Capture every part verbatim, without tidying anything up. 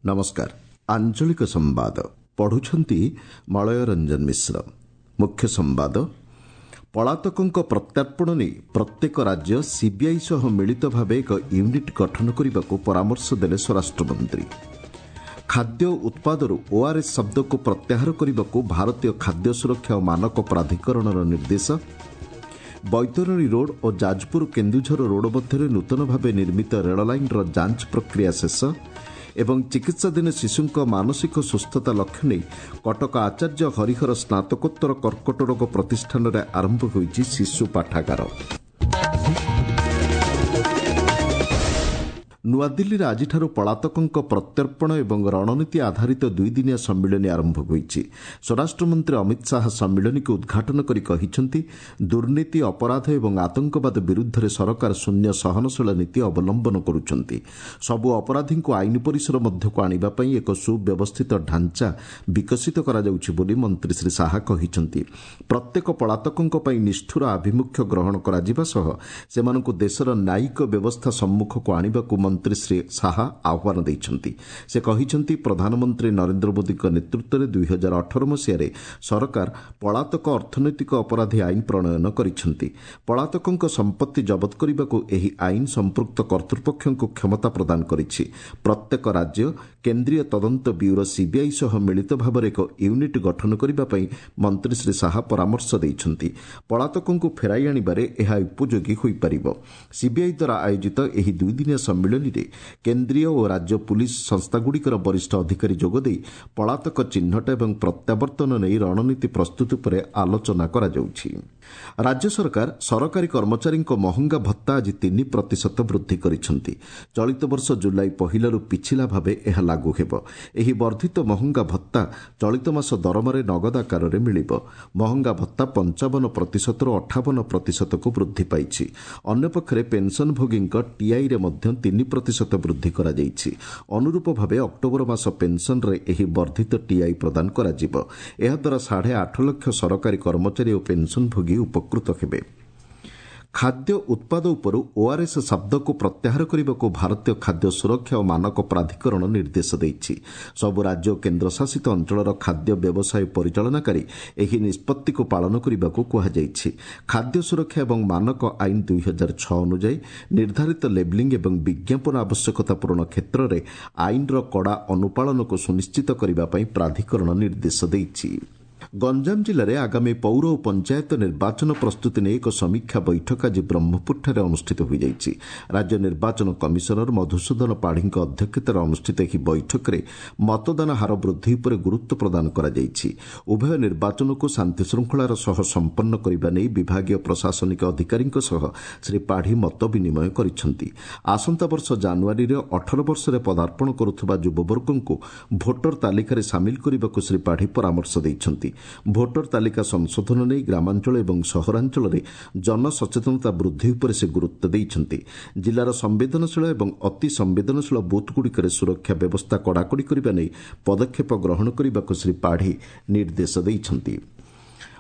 ନମସ୍କାର ଆଞ୍ଚଳିକ ସମ୍ବାଦ ପଢୁଛନ୍ତି ମଳୟ ରଞ୍ଜନ ମିଶ୍ର ମୁଖ୍ୟ ସମ୍ବାଦ ପଳାତକଙ୍କ ପ୍ରତ୍ୟର୍ପଣ ନେଇ ପ୍ରତ୍ୟେକ ରାଜ୍ୟ ସିବିଆଇ ସହ ମିଳିତ ଭାବେ ଏକ ୟୁନିଟ୍ ଗଠନ କରିବାକୁ ପରାମର୍ଶ ଦେଲେ ସ୍ୱରାଷ୍ଟ୍ରମନ୍ତ୍ରୀ ଖାଦ୍ୟ ଉତ୍ପାଦରୁ ଓଆର୍ଏସ୍ ଶବ୍ଦକୁ ପ୍ରତ୍ୟାହାର କରିବାକୁ ଭାରତୀୟ ଖାଦ୍ୟ ସୁରକ୍ଷା ଓ ମାନକ ପ୍ରାଧିକରଣର ନିର୍ଦ୍ଦେଶ ବୈତରଣୀ ରୋଡ୍ ଓ ଯାଜପୁର କେନ୍ଦୁଝର ରୋଡ୍ ମଧ୍ୟରେ ନୂତନ ଭାବେ ନିର୍ମିତ ରେଳ ଲାଇନ୍ର ଯାଞ୍ଚ ପ୍ରକ୍ରିୟା ଶେଷ ଏବଂ ଚିକିତ୍ସାଧୀନ ଶିଶୁଙ୍କ ମାନସିକ ସୁସ୍ଥତା ଲକ୍ଷ୍ୟ ନେଇ କଟକ ଆଚାର୍ଯ୍ୟ ହରିହର ସ୍ନାତକୋତ୍ତର କର୍କଟ ରୋଗ ପ୍ରତିଷ୍ଠାନରେ ଆରମ୍ଭ ହୋଇଛି ଶିଶୁ ପାଠାଗାର ନୂଆଦିଲ୍ଲୀରେ ଆଜିଠାରୁ ପଳାତକଙ୍କ ପ୍ରତ୍ୟର୍ପଣ ଏବଂ ରଣନୀତି ଆଧାରିତ ଦୁଇଦିନିଆ ସମ୍ମିଳନୀ ଆରମ୍ଭ ହୋଇଛି ସ୍ୱରାଷ୍ଟ୍ରମନ୍ତ୍ରୀ ଅମିତ ଶାହା ସମ୍ମିଳନୀକୁ ଉଦ୍ଘାଟନ କରି କହିଛନ୍ତି ଦୁର୍ନୀତି ଅପରାଧ ଏବଂ ଆତଙ୍କବାଦ ବିରୁଦ୍ଧରେ ସରକାର ଶୂନ୍ୟ ସହନଶୀଳ ନୀତି ଅବଲମ୍ବନ କରୁଛନ୍ତି ସବୁ ଅପରାଧୀଙ୍କୁ ଆଇନ ପରିସର ମଧ୍ୟକୁ ଆଣିବା ପାଇଁ ଏକ ସୁବ୍ୟବସ୍ଥିତ ଢାଞ୍ଚା ବିକଶିତ କରାଯାଉଛି ବୋଲି ମନ୍ତ୍ରୀ ଶ୍ରୀ ଶାହା କହିଛନ୍ତି ପ୍ରତ୍ୟେକ ପଳାତକଙ୍କ ପାଇଁ ନିଷ୍ଠୁର ଆଭିମୁଖ୍ୟ ଗ୍ରହଣ କରାଯିବା ସହ ସେମାନଙ୍କୁ ଦେଶର ନ୍ୟାୟିକ ବ୍ୟବସ୍ଥା ସମ୍ମୁଖକୁ ଆଣିବାକୁ ମନ୍ତ୍ରୀ ଶ୍ରୀ ଶାହା ଆହ୍ୱାନ ଦେଇଛନ୍ତି ସେ କହିଛନ୍ତି ପ୍ରଧାନମନ୍ତ୍ରୀ ନରେନ୍ଦ୍ର ମୋଦିଙ୍କ ନେତୃତ୍ୱରେ ଦୁଇ ହଜାର ଅଠର ମସିହାରେ ସରକାର ପଳାତକ ଅର୍ଥନୈତିକ ଅପରାଧୀ ଆଇନ ପ୍ରଣୟନ କରିଛନ୍ତି ପଳାତକଙ୍କ ସମ୍ପତ୍ତି ଜବତ କରିବାକୁ ଏହି ଆଇନ ସମ୍ପୃକ୍ତ କର୍ତ୍ତୃପକ୍ଷଙ୍କୁ କ୍ଷମତା ପ୍ରଦାନ କରିଛି ପ୍ରତ୍ୟେକ ରାଜ୍ୟ କେନ୍ଦ୍ରୀୟ ତଦନ୍ତ ବ୍ୟୁରୋ ସିବିଆଇ ସହ ମିଳିତ ଭାବରେ ଏକ ୟୁନିଟ୍ ଗଠନ କରିବା ପାଇଁ ମନ୍ତ୍ରୀ ଶ୍ରୀ ଶାହା ପରାମର୍ଶ ଦେଇଛନ୍ତି ପଳାତକଙ୍କୁ ଫେରାଇ ଆଣିବାରେ ଏହା ଉପଯୋଗୀ ହୋଇପାରିବ ସିବିଆଇ ଦ୍ୱାରା ଆୟୋଜିତ ଏହି ଦୁଇଦିନିଆ ସମ୍ମିଳନୀରେ କେନ୍ଦ୍ରୀୟ ଓ ରାଜ୍ୟ ପୁଲିସ୍ ସଂସ୍ଥାଗୁଡ଼ିକର ବରିଷ୍ଠ ଅଧିକାରୀ ଯୋଗଦେଇ ପଳାତକ ଚିହ୍ନଟ ଏବଂ ପ୍ରତ୍ୟାବର୍ତ୍ତନ ନେଇ ରଣନୀତି ପ୍ରସ୍ତୁତି ଉପରେ ଆଲୋଚନା କରାଯାଉଛି ରାଜ୍ୟ ସରକାର ସରକାରୀ କର୍ମଚାରୀଙ୍କ ମହଙ୍ଗା ଭତ୍ତା ଆଜି ତିନି ପ୍ରତିଶତ ବୃଦ୍ଧି କରିଛନ୍ତି ଚଳିତ ବର୍ଷ ଜୁଲାଇ ପହିଲାରୁ ପିଛିଲା ଭାବେ ଏହା ଲାଗୁ ହେବ ଏହି ବର୍ଦ୍ଧିତ ମହଙ୍ଗା ଭତ୍ତା ଚଳିତ ମାସ ଦରମାରେ ନଗଦ ଆକାରରେ ମିଳିବ ମହଙ୍ଗା ଭତ୍ତା ପଞ୍ଚାବନ ପ୍ରତିଶତରୁ ଅଠାବନ ପ୍ରତିଶତକୁ ବୃଦ୍ଧି ପାଇଛି ଅନ୍ୟପକ୍ଷରେ ପେନ୍ସନଭୋଗୀଙ୍କ ଟିଆଇରେ ମଧ୍ୟ ତିନି ପ୍ରତିଶତ ବୃଦ୍ଧି କରାଯାଇଛି ଅନୁରୂପ ଭାବେ ଅକ୍ଟୋବର ମାସ ପେନ୍ସନରେ ଏହି ବର୍ଦ୍ଧିତ ଟିଆଇ ପ୍ରଦାନ କରାଯିବ ଏହାଦ୍ୱାରା ସାଢ଼େ ଆଠ ଲକ୍ଷ ସରକାରୀ କର୍ମଚାରୀ ଓ ପେନ୍ସନଭୋଗୀ ଉପକୃତ ହେବେ ଖାଦ୍ୟ ଉତ୍ପାଦ ଉପରୁ ଓଆର୍ଏସ୍ ଶବ୍ଦକୁ ପ୍ରତ୍ୟାହାର କରିବାକୁ ଭାରତୀୟ ଖାଦ୍ୟ ସୁରକ୍ଷା ଓ ମାନକ ପ୍ରାଧିକରଣ ନିର୍ଦ୍ଦେଶ ଦେଇଛି ସବୁ ରାଜ୍ୟ ଓ କେନ୍ଦ୍ରଶାସିତ ଅଞ୍ଚଳର ଖାଦ୍ୟ ବ୍ୟବସାୟ ପରିଚାଳନାକାରୀ ଏହି ନିଷ୍ପତ୍ତିକୁ ପାଳନ କରିବାକୁ କୁହାଯାଇଛି ଖାଦ୍ୟ ସୁରକ୍ଷା ଏବଂ ମାନକ ଆଇନ ଦୁଇ ହଜାର ଛଅ ଅନୁଯାୟୀ ନିର୍ଦ୍ଧାରିତ ଲେବଲିଂ ଏବଂ ବିଜ୍ଞାପନ ଆବଶ୍ୟକତା ପୂରଣ କ୍ଷେତ୍ରରେ ଆଇନର କଡ଼ା ଅନୁପାଳନକୁ ସୁନିଶ୍ଚିତ କରିବା ପାଇଁ ପ୍ରାଧିକରଣ ନିର୍ଦ୍ଦେଶ ଦେଇଛି ଗଞ୍ଜାମ ଜିଲ୍ଲାରେ ଆଗାମୀ ପୌର ଓ ପଞ୍ଚାୟତ ନିର୍ବାଚନ ପ୍ରସ୍ତୁତି ନେଇ ଏକ ସମୀକ୍ଷା ବୈଠକ ଆଜି ବ୍ରହ୍ମପୁରଠାରେ ଅନୁଷ୍ଠିତ ହୋଇଯାଇଛି ରାଜ୍ୟ ନିର୍ବାଚନ କମିଶନର ମଧୁସୂଦନ ପାଢ଼ୀଙ୍କ ଅଧ୍ୟକ୍ଷତାରେ ଅନୁଷ୍ଠିତ ଏହି ବୈଠକରେ ମତଦାନ ହାର ବୃଦ୍ଧି ଉପରେ ଗୁରୁତ୍ୱ ପ୍ରଦାନ କରାଯାଇଛି ଉଭୟ ନିର୍ବାଚନକୁ ଶାନ୍ତିଶୃଙ୍ଖଳାର ସହ ସମ୍ପନ୍ନ କରିବା ନେଇ ବିଭାଗୀୟ ପ୍ରଶାସନିକ ଅଧିକାରୀଙ୍କ ସହ ଶ୍ରୀ ପାଢ଼ୀ ମତ ବିନିମୟ କରିଛନ୍ତି ଆସନ୍ତା ବର୍ଷ ଜାନୁଆରୀରେ ଅଠର ବର୍ଷରେ ପଦାର୍ପଣ କରୁଥିବା ଯୁବବର୍ଗଙ୍କୁ ଭୋଟର ତାଲିକାରେ ସାମିଲ କରିବାକୁ ଶ୍ରୀ ପାଢ଼ୀ ପରାମର୍ଶ ଦେଇଛନ୍ତି ଭୋଟର ତାଲିକା ସଂଶୋଧନ ନେଇ ଗ୍ରାମାଞ୍ଚଳ ଏବଂ ସହରାଞ୍ଚଳରେ ଜନସଚେତନତା ବୃଦ୍ଧି ଉପରେ ସେ ଗୁରୁତ୍ୱ ଦେଇଛନ୍ତି ଜିଲ୍ଲାର ସମ୍ବେଦନଶୀଳ ଏବଂ ଅତି ସମ୍ବେଦନଶୀଳ ବୁଥ୍ଗୁଡ଼ିକରେ ସୁରକ୍ଷା ବ୍ୟବସ୍ଥା କଡ଼ାକଡ଼ି କରିବା ନେଇ ପଦକ୍ଷେପ ଗ୍ରହଣ କରିବାକୁ ଶ୍ରୀ ପାଢ଼ୀ ନିର୍ଦ୍ଦେଶ ଦେଇଛନ୍ତି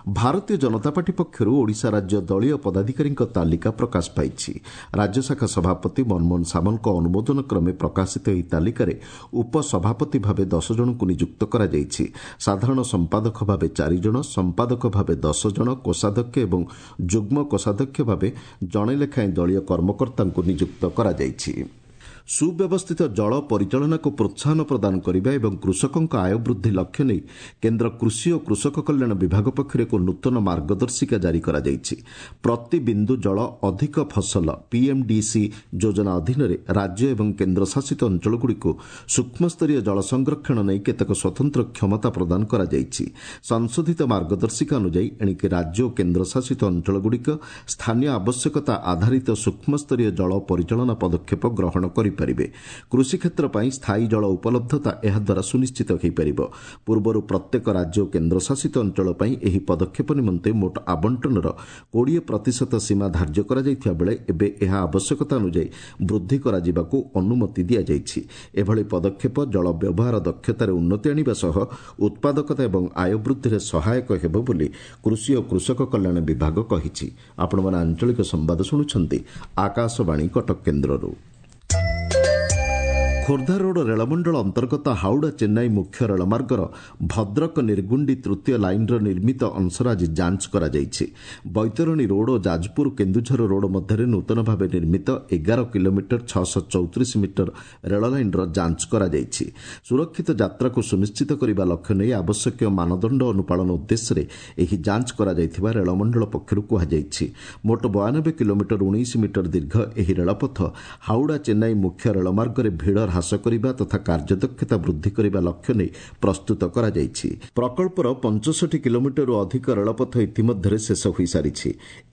ଭାରତୀୟ ଜନତା ପାର୍ଟି ପକ୍ଷରୁ ଓଡ଼ିଶା ରାଜ୍ୟ ଦଳୀୟ ପଦାଧିକାରୀଙ୍କ ତାଲିକା ପ୍ରକାଶ ପାଇଛି ରାଜ୍ୟଶାଖା ସଭାପତି ମନମୋହନ ସାମଲଙ୍କ ଅନୁମୋଦନ କ୍ରମେ ପ୍ରକାଶିତ ଏହି ତାଲିକାରେ ଉପସଭାପତି ଭାବେ ଦଶ ଜଣଙ୍କୁ ନିଯୁକ୍ତ କରାଯାଇଛି ସାଧାରଣ ସମ୍ପାଦକ ଭାବେ ଚାରିଜଣ ସମ୍ପାଦକ ଭାବେ ଦଶ ଜଣ କୋଷାଧ୍ୟକ୍ଷ ଏବଂ ଯୁଗ୍ମ କୋଷାଧ୍ୟକ୍ଷ ଭାବେ ଜଣେ ଲେଖାଏଁ ଦଳୀୟ କର୍ମକର୍ତ୍ତାଙ୍କୁ ନିଯୁକ୍ତ କରାଯାଇଛି ସୁବ୍ୟବସ୍ଥିତ ଜଳ ପରିଚାଳନାକୁ ପ୍ରୋତ୍ସାହନ ପ୍ରଦାନ କରିବା ଏବଂ କୃଷକଙ୍କ ଆୟ ବୃଦ୍ଧି ଲକ୍ଷ୍ୟ ନେଇ କେନ୍ଦ୍ର କୃଷି ଓ କୃଷକ କଲ୍ୟାଣ ବିଭାଗ ପକ୍ଷରୁ ଏକ ନୂତନ ମାର୍ଗଦର୍ଶିକା ଜାରି କରାଯାଇଛି ପ୍ରତି ବିନ୍ଦୁ ଜଳ ଅଧିକ ଫସଲ ପିଏମ୍ଡିସି ଯୋଜନା ଅଧୀନରେ ରାଜ୍ୟ ଏବଂ କେନ୍ଦ୍ରଶାସିତ ଅଞ୍ଚଳଗୁଡ଼ିକୁ ସୂକ୍ଷ୍ମସ୍ତରୀୟ ଜଳ ସଂରକ୍ଷଣ ନେଇ କେତେକ ସ୍ୱତନ୍ତ୍ର କ୍ଷମତା ପ୍ରଦାନ କରାଯାଇଛି ସଂଶୋଧିତ ମାର୍ଗଦର୍ଶିକା ଅନୁଯାୟୀ ଏଣିକି ରାଜ୍ୟ ଓ କେନ୍ଦ୍ରଶାସିତ ଅଞ୍ଚଳଗୁଡ଼ିକ ସ୍ଥାନୀୟ ଆବଶ୍ୟକତା ଆଧାରିତ ସୂକ୍ଷ୍ମସ୍ତରୀୟ ଜଳ ପରିଚାଳନା ପଦକ୍ଷେପ ଗ୍ରହଣ କରିପାରିବେ କୃଷିକ୍ଷେତ୍ର ପାଇଁ ସ୍ଥାୟୀ ଜଳ ଉପଲବ୍ଧତା ଏହାଦ୍ୱାରା ସୁନିଶ୍ଚିତ ହୋଇପାରିବ ପୂର୍ବରୁ ପ୍ରତ୍ୟେକ ରାଜ୍ୟ ଓ କେନ୍ଦ୍ରଶାସିତ ଅଞ୍ଚଳ ପାଇଁ ଏହି ପଦକ୍ଷେପ ନିମନ୍ତେ ମୋଟ ଆବଣ୍ଟନର କୋଡ଼ିଏ ପ୍ରତିଶତ ସୀମା ଧାର୍ଯ୍ୟ କରାଯାଇଥିବା ବେଳେ ଏବେ ଏହା ଆବଶ୍ୟକତା ଅନୁଯାୟୀ ବୃଦ୍ଧି କରାଯିବାକୁ ଅନୁମତି ଦିଆଯାଇଛି ଏଭଳି ପଦକ୍ଷେପ ଜଳ ବ୍ୟବହାର ଦକ୍ଷତାରେ ଉନ୍ନତି ଆଣିବା ସହ ଉତ୍ପାଦକତା ଏବଂ ଆୟ ବୃଦ୍ଧିରେ ସହାୟକ ହେବ ବୋଲି କୃଷି ଓ କୃଷକ କଲ୍ୟାଣ ବିଭାଗ କହିଛି ଆପଣମାନେ ଆଞ୍ଚଳିକ ସମ୍ବାଦ ଶୁଣୁଛନ୍ତି ଆକାଶବାଣୀ କଟକ କେନ୍ଦ୍ରରୁ ଖୋର୍ଦ୍ଧା ରୋଡ୍ ରେଳମଣ୍ଡଳ ଅନ୍ତର୍ଗତ ହାଉଡ଼ା ଚେନ୍ନାଇ ମୁଖ୍ୟ ରେଳମାର୍ଗର ଭଦ୍ରକ ନିର୍ଗୁଣ୍ଡି ତୃତୀୟ ଲାଇନ୍ର ନିର୍ମିତ ଅଂଶର ଆଜି ଯାଞ୍ଚ କରାଯାଇଛି। ବୈତରଣୀ ରୋଡ୍ ଓ ଯାଜପୁର କେନ୍ଦୁଝର ରୋଡ୍ ମଧ୍ୟରେ ନୂତନ ଭାବେ ନିର୍ମିତ ଏଗାର କିଲୋମିଟର ଛଅଶହ ଚଉତିରିଶ ମିଟର ରେଳ ଲାଇନ୍ର ଯାଞ୍ଚ କରାଯାଇଛି। ସୁରକ୍ଷିତ ଯାତ୍ରାକୁ ସୁନିଶ୍ଚିତ କରିବା ଲକ୍ଷ୍ୟ ନେଇ ଆବଶ୍ୟକୀୟ ମାନଦଣ୍ଡ ଅନୁପାଳନ ଉଦ୍ଦେଶ୍ୟରେ ଏହି ଯାଞ୍ଚ କରାଯାଇଥିବା ରେଳମଣ୍ଡଳ ପକ୍ଷରୁ କୁହାଯାଇଛି। ମୋଟ ବୟାନବେ କିଲୋମିଟର ଉଣେଇଶ ମିଟର ଦୀର୍ଘ ଏହି ରେଳପଥ ହାଉଡ଼ା ଚେନ୍ନାଇ ମୁଖ୍ୟ ରେଳମାର୍ଗରେ ଭିଡ଼ ହ୍ରାସ କରିବା ତଥା କାର୍ଯ୍ୟଦକ୍ଷତା ବୃଦ୍ଧି କରିବା ଲକ୍ଷ୍ୟ ନେଇ ପ୍ରସ୍ତୁତ କରାଯାଇଛି। ପ୍ରକଳ୍ପର ପଞ୍ଚଷଠି କିଲୋମିଟରରୁ ଅଧିକ ରେଳପଥ ଇତିମଧ୍ୟରେ ଶେଷ ହୋଇସାରିଛି।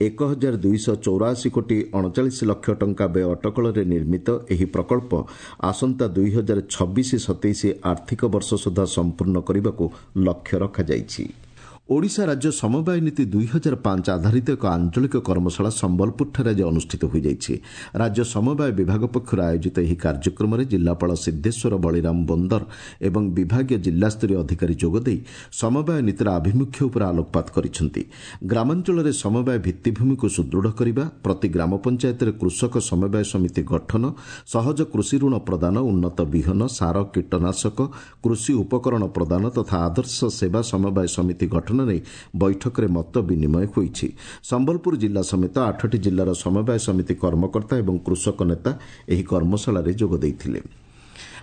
ଏକ ହଜାର ଦୁଇଶହ ଚଉରାଅଶୀ କୋଟି ଅଣଚାଳିଶ ଲକ୍ଷ ଟଙ୍କା ବ୍ୟୟ ଅଟକଳରେ ନିର୍ମିତ ଏହି ପ୍ରକଳ୍ପ ଆସନ୍ତା ଦୁଇ ହଜାର ଛବିଶ ସତେଇଶ ଆର୍ଥିକ ବର୍ଷ ସୁଦ୍ଧା ସମ୍ପୂର୍ଣ୍ଣ କରିବାକୁ ଲକ୍ଷ୍ୟ ରଖାଯାଇଛି। ଓଡ଼ିଶା ରାଜ୍ୟ ସମବାୟ ନୀତି ଦୁଇ ହଜାର ପାଞ୍ଚ ଆଧାରିତ ଏକ ଆଞ୍ଚଳିକ କର୍ମଶାଳା ସମ୍ବଲପୁରଠାରେ ଆଜି ଅନୁଷ୍ଠିତ ହୋଇଯାଇଛି। ରାଜ୍ୟ ସମବାୟ ବିଭାଗ ପକ୍ଷରୁ ଆୟୋଜିତ ଏହି କାର୍ଯ୍ୟକ୍ରମରେ ଜିଲ୍ଲାପାଳ ସିଦ୍ଧେଶ୍ୱର ବଳିରାମ ବୋନ୍ଦର ଏବଂ ବିଭାଗୀୟ ଜିଲ୍ଲାସ୍ତରୀୟ ଅଧିକାରୀ ଯୋଗଦେଇ ସମବାୟ ନୀତିର ଆଭିମୁଖ୍ୟ ଉପରେ ଆଲୋକପାତ କରିଛନ୍ତି। ଗ୍ରାମାଞ୍ଚଳରେ ସମବାୟ ଭିତ୍ତିଭୂମିକୁ ସୁଦୃଢ଼ କରିବା, ପ୍ରତି ଗ୍ରାମ ପଞ୍ଚାୟତରେ କୃଷକ ସମବାୟ ସମିତି ଗଠନ, ସହଜ କୃଷି ଋଣ ପ୍ରଦାନ, ଉନ୍ନତ ବିହନ, ସାର, କୀଟନାଶକ, କୃଷି ଉପକରଣ ପ୍ରଦାନ ତଥା ଆଦର୍ଶ ସେବା ସମବାୟ ସମିତି ଗଠନ ନେଇ ବୈଠକରେ ମତ ବିନିମୟ ହୋଇଛି। ସମ୍ବଲପୁର ଜିଲ୍ଲା ସମେତ ଆଠଟି ଜିଲ୍ଲାର ସମବାୟ ସମିତି କର୍ମକର୍ତ୍ତା ଏବଂ କୃଷକ ନେତା ଏହି କର୍ମଶାଳାରେ ଯୋଗ ଦେଇଥିଲେ।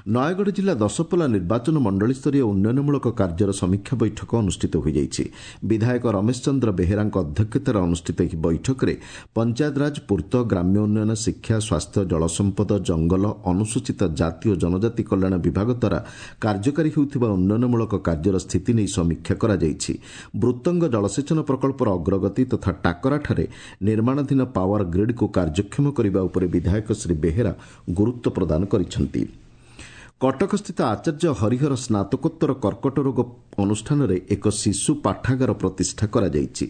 ନୟାଗଡ଼ ଜିଲ୍ଲା ଦଶପଲ୍ଲା ନିର୍ବାଚନ ମଣ୍ଡଳୀସ୍ତରୀୟ ଉନ୍ନୟନମୂଳକ କାର୍ଯ୍ୟର ସମୀକ୍ଷା ବୈଠକ ଅନୁଷ୍ଠିତ ହୋଇଯାଇଛି। ବିଧାୟକ ରମେଶ ଚନ୍ଦ୍ର ବେହେରାଙ୍କ ଅଧ୍ୟକ୍ଷତାରେ ଅନୁଷ୍ଠିତ ଏହି ବୈଠକରେ ପଞ୍ଚାୟତରାଜ, ପୂର୍ତ୍ତ, ଗ୍ରାମ୍ୟ ଉନ୍ନୟନ, ଶିକ୍ଷା, ସ୍ୱାସ୍ଥ୍ୟ, ଜଳସମ୍ପଦ, ଜଙ୍ଗଲ, ଅନୁସୂଚିତ ଜାତି ଓ ଜନଜାତି କଲ୍ୟାଣ ବିଭାଗ ଦ୍ୱାରା କାର୍ଯ୍ୟକାରୀ ହେଉଥିବା ଉନ୍ନୟନମୂଳକ କାର୍ଯ୍ୟର ସ୍ଥିତି ନେଇ ସମୀକ୍ଷା କରାଯାଇଛି। ବୃତ୍ତଙ୍ଗ ଜଳସେଚନ ପ୍ରକଳ୍ପର ଅଗ୍ରଗତି ତଥା ଟାକରାଠାରେ ନିର୍ମାଣାଧୀନ ପାୱାର ଗ୍ରିଡ୍କୁ କାର୍ଯ୍ୟକ୍ଷମ କରିବା ଉପରେ ବିଧାୟକ ଶ୍ରୀ ବେହେରା ଗୁରୁତ୍ୱ ପ୍ରଦାନ କରିଛନ୍ତି। କଟକସ୍ଥିତ ଆଚାର୍ଯ୍ୟ ହରିହର ସ୍ନାତକୋତ୍ତର କର୍କଟ ରୋଗ ଅନୁଷ୍ଠାନରେ ଏକ ଶିଶୁ ପାଠାଗାର ପ୍ରତିଷ୍ଠା କରାଯାଇଛି।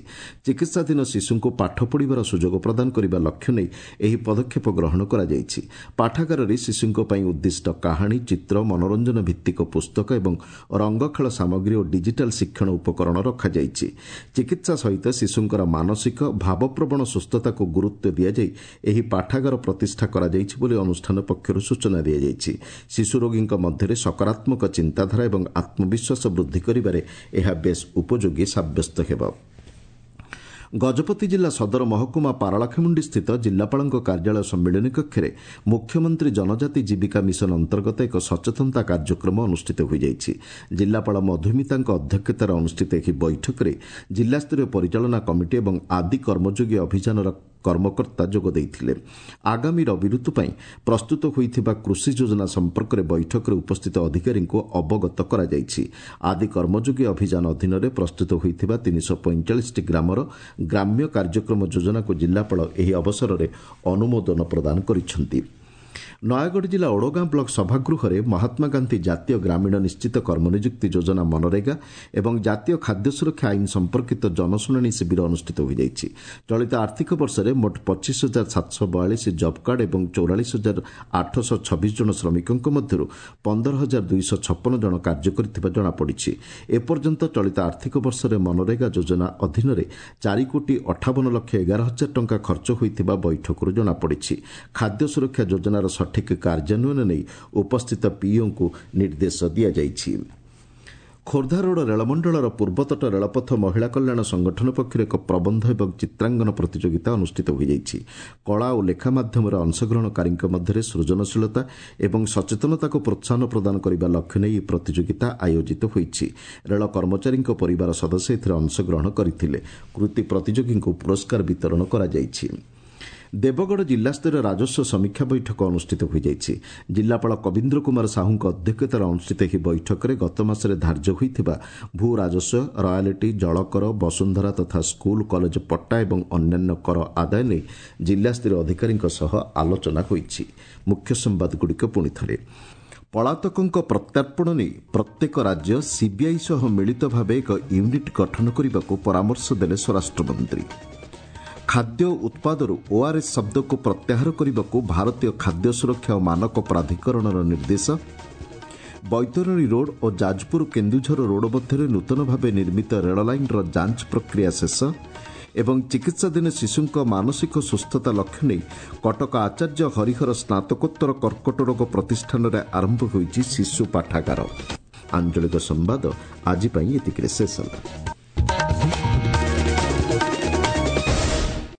ଚିକିତ୍ସାଧୀନ ଶିଶୁଙ୍କୁ ପାଠ ପଢ଼ିବାର ସୁଯୋଗ ପ୍ରଦାନ କରିବା ଲକ୍ଷ୍ୟ ନେଇ ଏହି ପଦକ୍ଷେପ ଗ୍ରହଣ କରାଯାଇଛି। ପାଠାଗାରରେ ଶିଶୁଙ୍କ ପାଇଁ ଉଦ୍ଦିଷ୍ଟ କାହାଣୀ, ଚିତ୍ର, ମନୋରଞ୍ଜନ ଭିତ୍ତିକ ପୁସ୍ତକ ଏବଂ ରଙ୍ଗଖେଳ ସାମଗ୍ରୀ ଓ ଡିଜିଟାଲ ଶିକ୍ଷଣ ଉପକରଣ ରଖାଯାଇଛି। ଚିକିତ୍ସା ସହିତ ଶିଶୁଙ୍କର ମାନସିକ ଭାବପ୍ରବଣ ସୁସ୍ଥତାକୁ ଗୁରୁତ୍ୱ ଦିଆଯାଇ ଏହି ପାଠାଗାର ପ୍ରତିଷ୍ଠା କରାଯାଇଛି ବୋଲି ଅନୁଷ୍ଠାନ ପକ୍ଷରୁ ସୂଚନା ଦିଆଯାଇଛି। ଶିଶୁ ରୋଗୀଙ୍କ ମଧ୍ୟରେ ସକାରାତ୍ମକ ଚିନ୍ତାଧାରା ଏବଂ ଆତ୍ମବିଶ୍ୱାସ ବୃଦ୍ଧି କରିବାରେ ଏହା ବେଶ୍ ଉପଯୋଗୀ ସାବ୍ୟସ୍ତ ହେବ। ଗଜପତି ଜିଲ୍ଲା ସଦର ମହକୁମା ପାରଳାଖେମୁଣ୍ଡି ସ୍ଥିତ ଜିଲ୍ଲାପାଳଙ୍କ କାର୍ଯ୍ୟାଳୟ ସମ୍ମିଳନୀ କକ୍ଷରେ ମୁଖ୍ୟମନ୍ତ୍ରୀ ଜନଜାତି ଜୀବିକା ମିଶନ ଅନ୍ତର୍ଗତ ଏକ ସଚେତନତା କାର୍ଯ୍ୟକ୍ରମ ଅନୁଷ୍ଠିତ ହୋଇଯାଇଛି। ଜିଲ୍ଲାପାଳ ମଧୁମିତାଙ୍କ ଅଧ୍ୟକ୍ଷତାରେ ଅନୁଷ୍ଠିତ ଏହି ବୈଠକରେ ଜିଲ୍ଲାସ୍ତରୀୟ ପରିଚାଳନା କମିଟି ଏବଂ ଆଦି କର୍ମଯୋଗୀ ଅଭିଯାନର କର୍ମକର୍ତ୍ତା ଯୋଗ ଦେଇଥିଲେ। ଆଗାମୀ ରବି ଋତୁ ପାଇଁ ପ୍ରସ୍ତୁତ ହୋଇଥିବା କୃଷି ଯୋଜନା ସମ୍ପର୍କରେ ବୈଠକରେ ଉପସ୍ଥିତ ଅଧିକାରୀଙ୍କୁ ଅବଗତ କରାଯାଇଛି। ଆଦି କର୍ମଯୋଗୀ ଅଭିଯାନ ଅଧୀନରେ ପ୍ରସ୍ତୁତ ହୋଇଥିବା ତିନିଶହ ପଇଁଚାଳିଶଟି ଗ୍ରାମର ଗ୍ରାମ୍ୟ କାର୍ଯ୍ୟକ୍ରମ ଯୋଜନାକୁ ଜିଲ୍ଲାପାଳ ଏହି ଅବସରରେ ଅନୁମୋଦନ ପ୍ରଦାନ କରିଛନ୍ତି। ନୟାଗଡ଼ ଜିଲ୍ଲା ଓଡ଼ଗାଁ ବ୍ଲକ ସଭାଗୃହରେ ମହାତ୍ମା ଗାନ୍ଧୀ ଜାତୀୟ ଗ୍ରାମୀଣ ନିଶ୍ଚିତ କର୍ମନିଯୁକ୍ତି ଯୋଜନା ମନରେଗା ଏବଂ ଜାତୀୟ ଖାଦ୍ୟ ସୁରକ୍ଷା ଆଇନ ସମ୍ପର୍କିତ ଜନଶୁଣାଣି ଶିବିର ଅନୁଷ୍ଠିତ ହୋଇଯାଇଛି। ଚଳିତ ଆର୍ଥିକ ବର୍ଷରେ ମୋଟ ପଚିଶ ହଜାର ସାତଶହ ବୟାଳିଶ ଜବ୍ କାର୍ଡ ଏବଂ ଚଉରାଳିଶ ହଜାର ଆଠଶହ ଛବିଶ ଜଣ ଶ୍ରମିକଙ୍କ ମଧ୍ୟରୁ ପନ୍ଦର ହଜାର ଦୁଇଶହ ଛପନ ଜଣ କାର୍ଯ୍ୟ କରିଥିବା ଜଣାପଡ଼ିଛି। ଏପର୍ଯ୍ୟନ୍ତ ଚଳିତ ଆର୍ଥିକ ବର୍ଷରେ ମନରେଗା ଯୋଜନା ଅଧୀନରେ ଚାରି କୋଟି ଅଠାବନ ଲକ୍ଷ ଏଗାର ହଜାର ଟଙ୍କା ଖର୍ଚ୍ଚ ହୋଇଥିବା ବୈଠକରୁ ଜଣାପଡ଼ିଛି। ଖାଦ୍ୟ ସୁରକ୍ଷା ଯୋଜନାର ସଠିକ୍ କାର୍ଯ୍ୟାନ୍ୱୟନ ନେଇ ଉପସ୍ଥିତ ପିଇଓଙ୍କୁ ନିର୍ଦ୍ଦେଶ ଦିଆଯାଇଛି। ଖୋର୍ଦ୍ଧା ରୋଡ୍ ରେଳମଣ୍ଡଳର ପୂର୍ବତଟ ରେଳପଥ ମହିଳା କଲ୍ୟାଣ ସଂଗଠନ ପକ୍ଷରୁ ଏକ ପ୍ରବନ୍ଧ ଏବଂ ଚିତ୍ରାଙ୍କନ ପ୍ରତିଯୋଗିତା ଅନୁଷ୍ଠିତ ହୋଇଯାଇଛି। କଳା ଓ ଲେଖା ମାଧ୍ୟମରେ ଅଂଶଗ୍ରହଣକାରୀଙ୍କ ମଧ୍ୟରେ ସୃଜନଶୀଳତା ଏବଂ ସଚେତନତାକୁ ପ୍ରୋତ୍ସାହନ ପ୍ରଦାନ କରିବା ଲକ୍ଷ୍ୟ ନେଇ ଏହି ପ୍ରତିଯୋଗିତା ଆୟୋଜିତ ହୋଇଛି। ରେଳ କର୍ମଚାରୀଙ୍କ ପରିବାର ସଦସ୍ୟ ଏଥିରେ ଅଂଶଗ୍ରହଣ କରିଥିଲେ। କୃତି ପ୍ରତିଯୋଗୀଙ୍କୁ ପୁରସ୍କାର ବିତରଣ କରାଯାଇଛି। ଦେବଗଡ଼ ଜିଲ୍ଲାସ୍ତରୀୟ ରାଜସ୍ୱ ସମୀକ୍ଷା ବୈଠକ ଅନୁଷ୍ଠିତ ହୋଇଯାଇଛି। ଜିଲ୍ଲାପାଳ କବୀନ୍ଦ୍ର କୁମାର ସାହୁଙ୍କ ଅଧ୍ୟକ୍ଷତାରେ ଅନୁଷ୍ଠିତ ଏହି ବୈଠକରେ ଗତ ମାସରେ ଧାର୍ଯ୍ୟ ହୋଇଥିବା ଭୂ ରାଜସ୍ୱ, ରୟାଲିଟି, ଜଳକର, ବସୁନ୍ଧରା ତଥା ସ୍କୁଲ କଲେଜ ପଟ୍ଟା ଏବଂ ଅନ୍ୟାନ୍ୟ କର ଆଦାୟ ନେଇ ଜିଲ୍ଲାସ୍ତରୀୟ ଅଧିକାରୀଙ୍କ ସହ ଆଲୋଚନା ହୋଇଛି। ମୁଖ୍ୟ ସମ୍ବାଦଗୁଡ଼ିକ ପୁଣି ଥରେ। ପଳାତକଙ୍କ ପ୍ରତ୍ୟର୍ପଣ ନେଇ ପ୍ରତ୍ୟେକ ରାଜ୍ୟ ସିବିଆଇ ସହ ମିଳିତ ଭାବେ ଏକ ୟୁନିଟ୍ ଗଠନ କରିବାକୁ ପରାମର୍ଶ ଦେଲେ ସ୍ୱରାଷ୍ଟ୍ରମନ୍ତ୍ରୀ। ଖାଦ୍ୟ ଉତ୍ପାଦରୁ ଓଆର୍ଏସ୍ ଶବ୍ଦକୁ ପ୍ରତ୍ୟାହାର କରିବାକୁ ଭାରତୀୟ ଖାଦ୍ୟ ସୁରକ୍ଷା ଓ ମାନକ ପ୍ରାଧିକରଣର ନିର୍ଦ୍ଦେଶ। ବୈତରଣୀ ରୋଡ୍ ଓ ଯାଜପୁର କେନ୍ଦୁଝର ରୋଡ୍ ମଧ୍ୟରେ ନୂତନ ଭାବେ ନିର୍ମିତ ରେଳ ଲାଇନ୍ର ଯାଞ୍ଚ ପ୍ରକ୍ରିୟା ଶେଷ। ଏବଂ ଚିକିତ୍ସାଧୀନ ଶିଶୁଙ୍କ ମାନସିକ ସୁସ୍ଥତା ଲକ୍ଷ୍ୟ ନେଇ କଟକ ଆଚାର୍ଯ୍ୟ ହରିହର ସ୍ନାତକୋତ୍ତର କର୍କଟ ରୋଗ ପ୍ରତିଷ୍ଠାନରେ ଆରମ୍ଭ ହୋଇଛି ଶିଶୁ ପାଠାଗାର। ଆଞ୍ଚଳିକ ସମ୍ବାଦ ଆଜି ପାଇଁ ଏତିକିରେ ଶେଷ ହେଲା।